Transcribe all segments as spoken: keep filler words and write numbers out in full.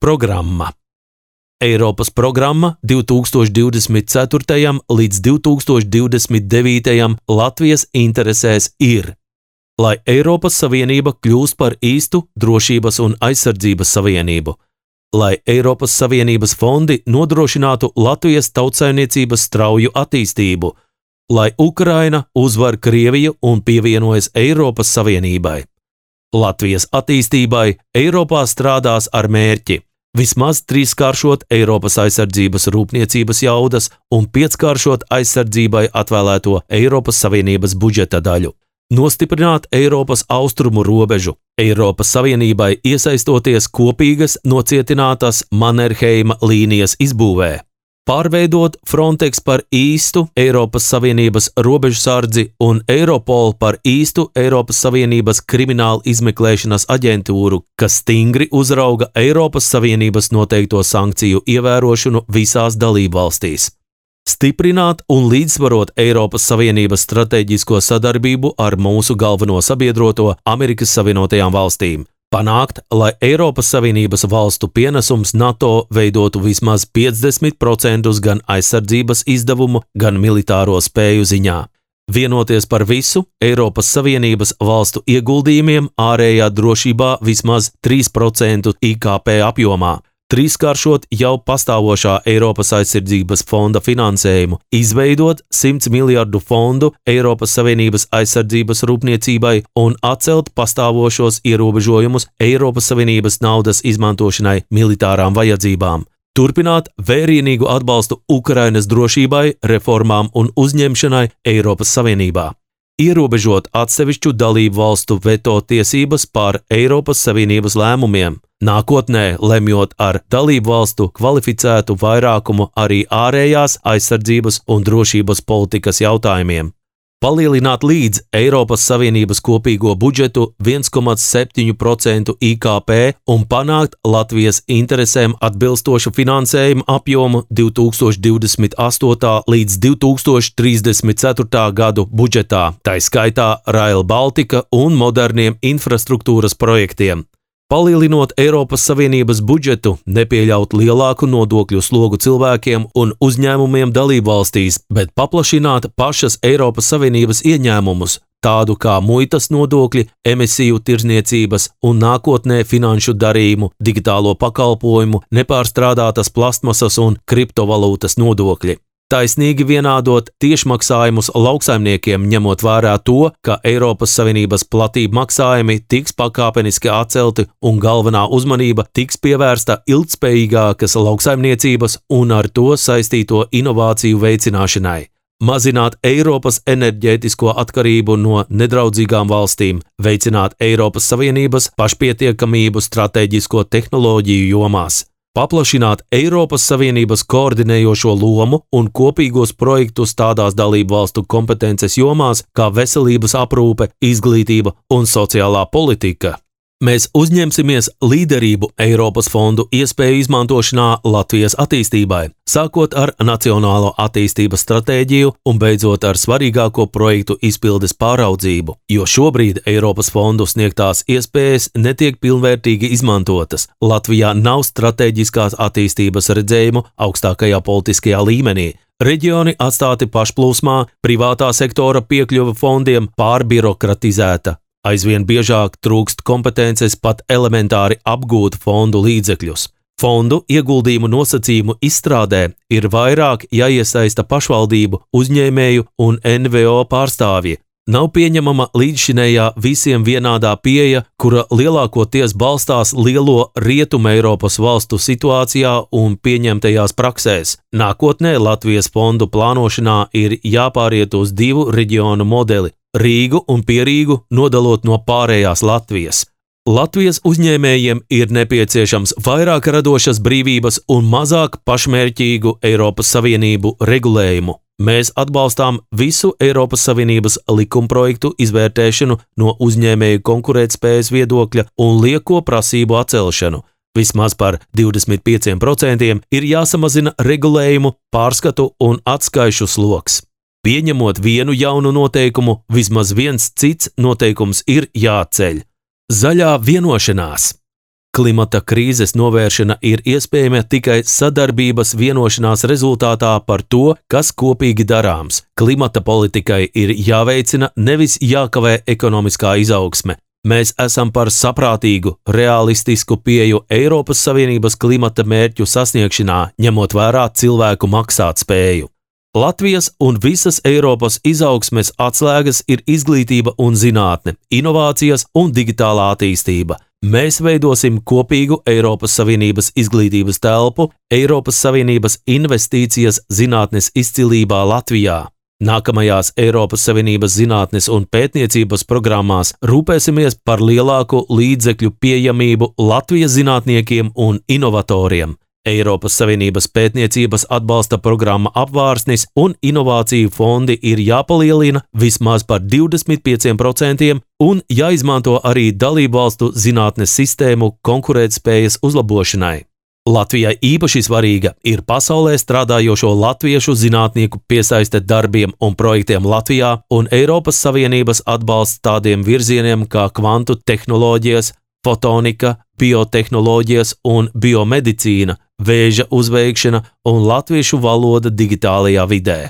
Programma. Eiropas programma divi tūkstoši divdesmit ceturtajam līdz divi tūkstoši divdesmit devītajam Latvijas interesēs ir, lai Eiropas Savienība kļūst par īstu drošības un aizsardzības savienību, lai Eiropas Savienības fondi nodrošinātu Latvijas tautsaimniecības strauju attīstību, lai Ukraina uzvar Krieviju un pievienojas Eiropas Savienībai. Latvijas attīstībai Eiropā strādās ar mērķi vismaz trīskāršot Eiropas aizsardzības rūpniecības jaudas un pieckāršot aizsardzībai atvēlēto Eiropas Savienības budžeta daļu, nostiprināt Eiropas austrumu robežu, Eiropas Savienībai iesaistoties kopīgas nocietinātas Mannerheima līnijas izbūvē, pārveidot Frontex par īstu Eiropas Savienības robežsardzi un Eiropolu par īstu Eiropas Savienības kriminālu izmeklēšanas aģentūru, kas stingri uzrauga Eiropas Savienības noteikto sankciju ievērošanu visās dalībvalstīs. Stiprināt un līdzsvarot Eiropas Savienības stratēģisko sadarbību ar mūsu galveno sabiedroto Amerikas Savienotajām valstīm. Panākt, lai Eiropas Savienības valstu pienesums NATO veidotu vismaz piecdesmit procentus gan aizsardzības izdevumu, gan militāro spēju ziņā. Vienoties par visu Eiropas Savienības valstu ieguldījumiem ārējā drošībā vismaz trīs procentus I K P apjomā, trīskāršot jau pastāvošā Eiropas aizsardzības fonda finansējumu, izveidot simts miljardu fondu Eiropas Savienības aizsardzības rūpniecībai un atcelt pastāvošos ierobežojumus Eiropas Savienības naudas izmantošanai militārām vajadzībām. Turpināt vērienīgu atbalstu Ukrainas drošībai, reformām un uzņemšanai Eiropas Savienībā. Ierobežot atsevišķu dalību valstu veto tiesības pār Eiropas Savienības lēmumiem, nākotnē lemjot ar dalību valstu kvalificētu vairākumu arī ārējās aizsardzības un drošības politikas jautājumiem. Palielināt līdz Eiropas Savienības kopīgo budžetu viens komats septiņi procenti I K P un panākt Latvijas interesēm atbilstošu finansējumu apjomu divi tūkstoši divdesmit astotā līdz divi tūkstoši trīsdesmit ceturtā gadu budžetā, tai skaitā Rail Baltica un moderniem infrastruktūras projektiem. Palielinot Eiropas Savienības budžetu, nepieļaut lielāku nodokļu slogu cilvēkiem un uzņēmumiem dalībvalstīs, bet paplašināt pašas Eiropas Savienības ieņēmumus, tādu kā muitas nodokļi, emisiju tirzniecības un nākotnē finanšu darījumu, digitālo pakalpojumu, nepārstrādātas plastmasas un kriptovalūtas nodokļi. Taisnīgi vienādot tiešmaksājumus lauksaimniekiem, ņemot vērā to, ka Eiropas Savienības platību maksājumi tiks pakāpeniski atcelti un galvenā uzmanība tiks pievērsta ilgtspējīgākas lauksaimniecības un ar to saistīto inovāciju veicināšanai. Mazināt Eiropas enerģētisko atkarību no nedraudzīgām valstīm, veicināt Eiropas Savienības pašpietiekamību stratēģisko tehnoloģiju jomās. Paplašināt Eiropas Savienības koordinējošo lomu un kopīgos projektus tādās dalību valstu kompetences jomās kā veselības aprūpe, izglītība un sociālā politika. Mēs uzņemsimies līderību Eiropas fondu iespēju izmantošanā Latvijas attīstībai, sākot ar Nacionālo attīstības stratēģiju un beidzot ar svarīgāko projektu izpildes pāraudzību, jo šobrīd Eiropas fondu sniegtās iespējas netiek pilnvērtīgi izmantotas. Latvijā nav strateģiskās attīstības redzējumu augstākajā politiskajā līmenī. Reģioni atstāti pašplūsmā, privātā sektora piekļuve fondiem pārbirokratizēta. Aizvien biežāk trūkst kompetences pat elementāri apgūt fondu līdzekļus. Fondu ieguldījumu nosacījumu izstrādē ir vairāk jāiesaista pašvaldību, uzņēmēju un N V O pārstāvji. Nav pieņemama līdzšinējā visiem vienādā pieeja, kura lielākoties balstās lielo Rietuma Eiropas valstu situācijā un pieņemtajās praksēs. Nākotnē Latvijas fondu plānošanā ir jāpāriet uz divu reģionu modeli – Rīgu un Pierīgu nodalot no pārējās Latvijas. Latvijas uzņēmējiem ir nepieciešams vairāk radošas brīvības un mazāk pašmērķīgu Eiropas Savienību regulējumu. Mēs atbalstām visu Eiropas Savienības likumprojektu izvērtēšanu no uzņēmēju konkurētspējas viedokļa un lieko prasību atcelšanu. Vismaz par divdesmit pieciem procentiem ir jāsamazina regulējumu, pārskatu un atskaišu sloks. Pieņemot vienu jaunu noteikumu, vismaz viens cits noteikums ir jāceļ. Zaļā vienošanās. Klimata krīzes novēršana ir iespējama tikai sadarbības vienošanās rezultātā par to, kas kopīgi darāms. Klimata politikai ir jāveicina, nevis jākavē ekonomiskā izaugsme. Mēs esam par saprātīgu, realistisku pieju Eiropas Savienības klimata mērķu sasniegšanā, ņemot vērā cilvēku maksātspēju. Latvijas un visas Eiropas izaugsmes atslēgas ir izglītība un zinātne, inovācijas un digitālā attīstība. Mēs veidosim kopīgu Eiropas Savienības izglītības telpu, Eiropas Savienības investīcijas zinātnes izcilībā Latvijā. Nākamajās Eiropas Savienības zinātnes un pētniecības programmās rūpēsimies par lielāku līdzekļu pieejamību Latvijas zinātniekiem un inovatoriem. Eiropas Savienības pētniecības atbalsta programma Apvārsnis un inovāciju fondi ir jāpalielina vismaz par divdesmit pieciem procentiem un jāizmanto arī dalībvalstu zinātnes sistēmu konkurētspējas uzlabošanai. Latvijai īpaši svarīga ir pasaulē strādājošo latviešu zinātnieku piesaiste darbiem un projektiem Latvijā un Eiropas Savienības atbalsts tādiem virzieniem kā kvantu tehnoloģijas, fotonika, biotehnoloģijas un biomedicīna, vēža uzveikšana un latviešu valoda digitālajā vidē.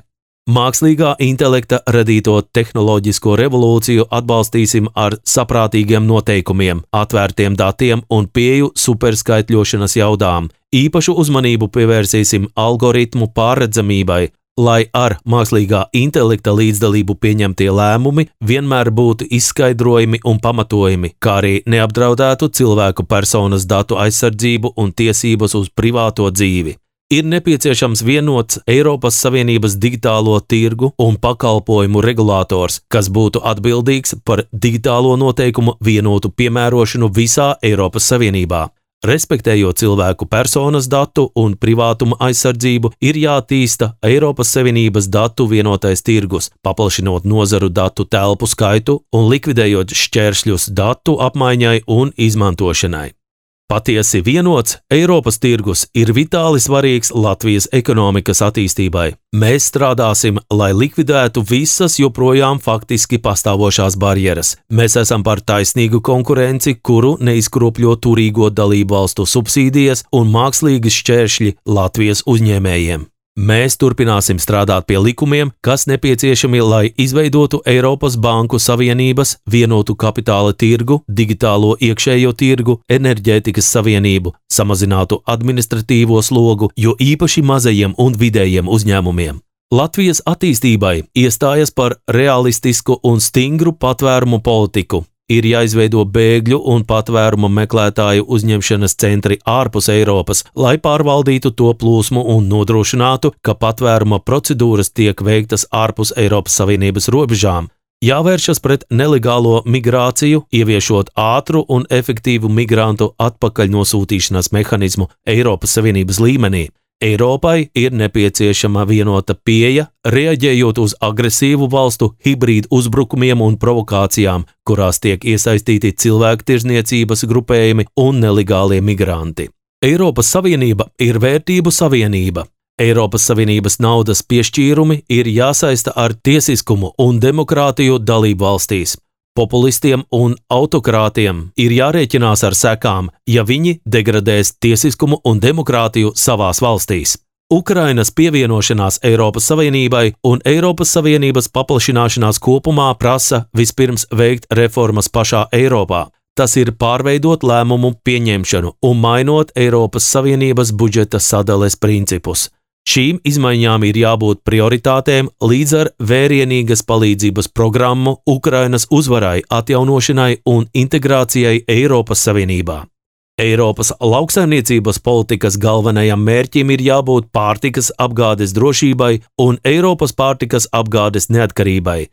Mākslīgā intelekta radīto tehnoloģisko revolūciju atbalstīsim ar saprātīgiem noteikumiem, atvērtiem datiem un pieeju superskaitļošanas jaudām. Īpašu uzmanību pievērsīsim algoritmu pārredzamībai, lai ar mākslīgā intelekta līdzdalību pieņemtie lēmumi vienmēr būtu izskaidrojami un pamatojami, kā arī neapdraudētu cilvēku personas datu aizsardzību un tiesības uz privāto dzīvi. Ir nepieciešams vienots Eiropas Savienības digitālo tirgu un pakalpojumu regulators, kas būtu atbildīgs par digitālo noteikumu vienotu piemērošanu visā Eiropas Savienībā. Respektējot cilvēku personas datu un privātuma aizsardzību, ir jātīsta Eiropas Savienības datu vienotais tirgus, paplašinot nozaru datu telpu skaitu un likvidējot šķēršļus datu apmaiņai un izmantošanai. Patiesi vienots Eiropas tirgus ir vitāli svarīgs Latvijas ekonomikas attīstībai. Mēs strādāsim, lai likvidētu visas joprojām faktiski pastāvošās barjeras. Mēs esam par taisnīgu konkurenci, kuru neizkropļo turīgo dalību valstu subsīdijas un mākslīgi šķēršļi Latvijas uzņēmējiem. Mēs turpināsim strādāt pie likumiem, kas nepieciešami, lai izveidotu Eiropas Banku Savienības, vienotu kapitāla tirgu, digitālo iekšējo tirgu, enerģētikas savienību, samazinātu administratīvo slogu, jo īpaši mazajiem un vidējiem uzņēmumiem. Latvijas attīstībai iestājas par realistisku un stingru patvērumu politiku. Ir jāizveido bēgļu un patvērumu meklētāju uzņemšanas centri ārpus Eiropas, lai pārvaldītu to plūsmu un nodrošinātu, ka patvēruma procedūras tiek veiktas ārpus Eiropas Savienības robežām. Jāvēršas pret nelegālo migrāciju, ieviešot ātru un efektīvu migrantu atpakaļnosūtīšanas mehanizmu Eiropas Savienības līmenī. Eiropai ir nepieciešama vienota pieeja, reaģējot uz agresīvu valstu hibrīdu uzbrukumiem un provokācijām, kurās tiek iesaistīti cilvēktirzniecības grupējumi un nelegālie migranti. Eiropas Savienība ir vērtību savienība. Eiropas Savienības naudas piešķīrumi ir jāsaista ar tiesiskumu un demokrātiju dalību valstīs. Populistiem un autokrātiem ir jārēķinās ar sekām, ja viņi degradēs tiesiskumu un demokrātiju savās valstīs. Ukrainas pievienošanās Eiropas Savienībai un Eiropas Savienības paplašināšanās kopumā prasa vispirms veikt reformas pašā Eiropā. Tas ir pārveidot lēmumu pieņemšanu un mainot Eiropas Savienības budžeta sadales principus. Šīm izmaiņām ir jābūt prioritātēm līdz ar vērienīgas palīdzības programmu Ukrainas uzvarai, atjaunošanai un integrācijai Eiropas Savienībā. Eiropas lauksaimniecības politikas galvenajam mērķim ir jābūt pārtikas apgādes drošībai un Eiropas pārtikas apgādes neatkarībai.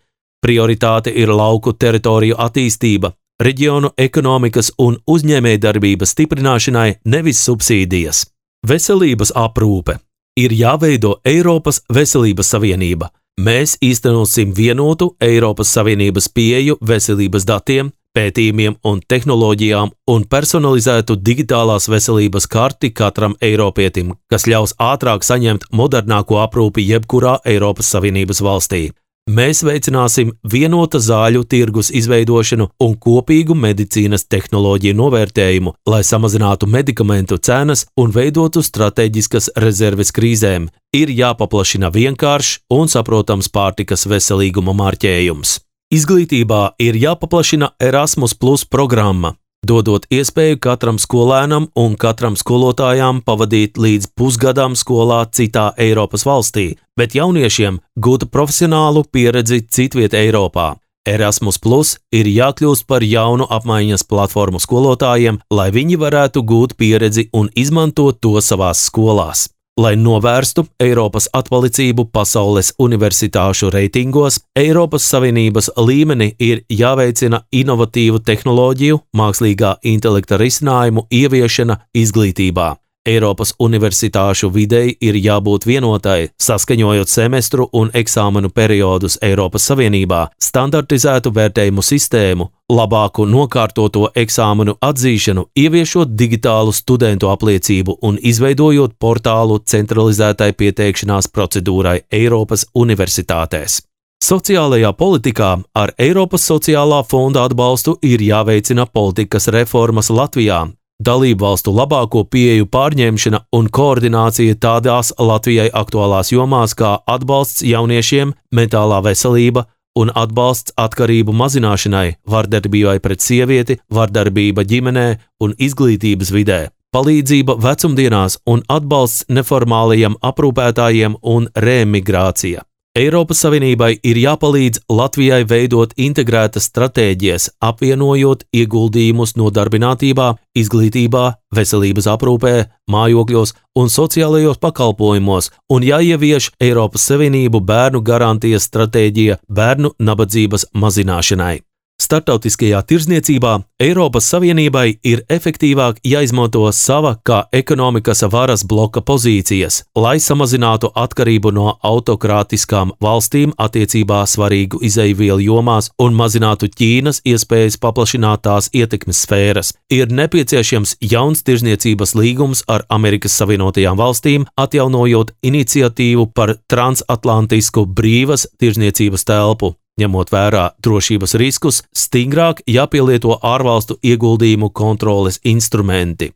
Prioritāte ir lauku teritoriju attīstība, reģionu ekonomikas un uzņēmējdarbības stiprināšanai, nevis subsīdijas. Veselības aprūpe. Ir jāveido Eiropas Veselības Savienība. Mēs īstenosim vienotu Eiropas Savienības pieeju veselības datiem, pētījumiem un tehnoloģijām un personalizētu digitālās veselības karti katram eiropietim, kas ļaus ātrāk saņemt modernāko aprūpi jebkurā Eiropas Savienības valstī. Mēs veicināsim vienota zāļu tirgus izveidošanu un kopīgu medicīnas tehnoloģiju novērtējumu, lai samazinātu medikamentu cenas un veidotu strateģiskas rezerves krīzēm. Ir jāpaplašina vienkāršs un saprotams pārtikas veselīguma marķējums. Izglītībā ir jāpaplašina Erasmus Plus programma, dodot iespēju katram skolēnam un katram skolotājām pavadīt līdz pusgadam skolā citā Eiropas valstī, bet jauniešiem gūt profesionālu pieredzi citviet Eiropā. Erasmus Plus ir jākļūst par jaunu apmaiņas platformu skolotājiem, lai viņi varētu gūt pieredzi un izmantot to savās skolās. Lai novērstu Eiropas atpalicību pasaules universitāšu reitingos, Eiropas Savienības līmenī ir jāveicina inovatīvu tehnoloģiju, mākslīgā intelekta risinājumu ieviešana izglītībā. Eiropas universitāšu videi ir jābūt vienotai, saskaņojot semestru un eksāmenu periodus Eiropas Savienībā, standartizētu vērtējumu sistēmu, labāku nokārtoto eksāmenu atzīšanu, ieviešot digitālu studentu apliecību un izveidojot portālu centralizētai pieteikšanās procedūrai Eiropas universitātēs. Sociālajā politikā ar Eiropas sociālā fonda atbalstu ir jāveicina politikas reformas Latvijā, dalību valstu labāko pieeju pārņemšana un koordinācija tādās Latvijai aktuālās jomās kā atbalsts jauniešiem, mentālā veselība un atbalsts atkarību mazināšanai, vardarbībai pret sievieti, vardarbība ģimenē un izglītības vidē, palīdzība vecumdienās un atbalsts neformālajiem aprūpētājiem un reemigrācija. Eiropas Savienībai ir jāpalīdz Latvijai veidot integrētas stratēģijas, apvienojot ieguldījumus nodarbinātībā, izglītībā, veselības aprūpē, mājokļos un sociālajos pakalpojumos, un jāievieš Eiropas Savienību bērnu garantijas stratēģija bērnu nabadzības mazināšanai. Startautiskajā tirdzniecībā Eiropas Savienībai ir efektīvāk jāizmanto sava kā ekonomikas varas bloka pozīcijas, lai samazinātu atkarību no autokrātiskām valstīm attiecībā svarīgu izeivielu jomās un mazinātu Ķīnas iespējas paplašināt tās ietekmes sfēras. Ir nepieciešams jauns tirdzniecības līgums ar Amerikas Savienotajām valstīm, atjaunojot iniciatīvu par transatlantisku brīvas tirdzniecības telpu. Ņemot vērā drošības riskus, stingrāk jāpielieto ārvalstu ieguldījumu kontroles instrumenti.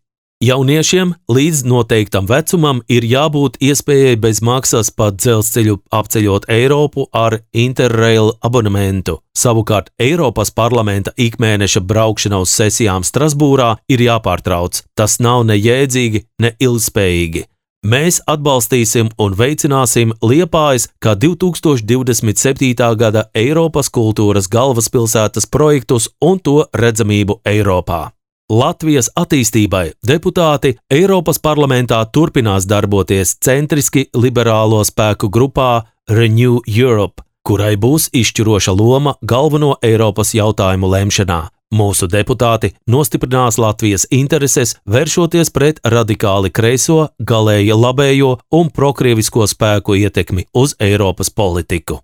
Jauniešiem līdz noteiktam vecumam ir jābūt iespējai bez maksas pa dzelzceļu apceļot Eiropu ar Interrail abonementu. Savukārt Eiropas parlamenta ikmēneša braukšana uz sesijām Strasbūrā ir jāpārtrauc. Tas nav ne jēdzīgi, ne ilgspējīgi. Mēs atbalstīsim un veicināsim Liepājas kā divi tūkstoši divdesmit septītā gada Eiropas kultūras galvaspilsētas projektus un to redzamību Eiropā. Latvijas attīstībai deputāti Eiropas parlamentā turpinās darboties centriski liberālo spēku grupā Renew Europe, kurai būs izšķiroša loma galveno Eiropas jautājumu lemšanā. Mūsu deputāti nostiprinās Latvijas intereses, vēršoties pret radikāli kreiso, galēji labējo un prokrievisko spēku ietekmi uz Eiropas politiku.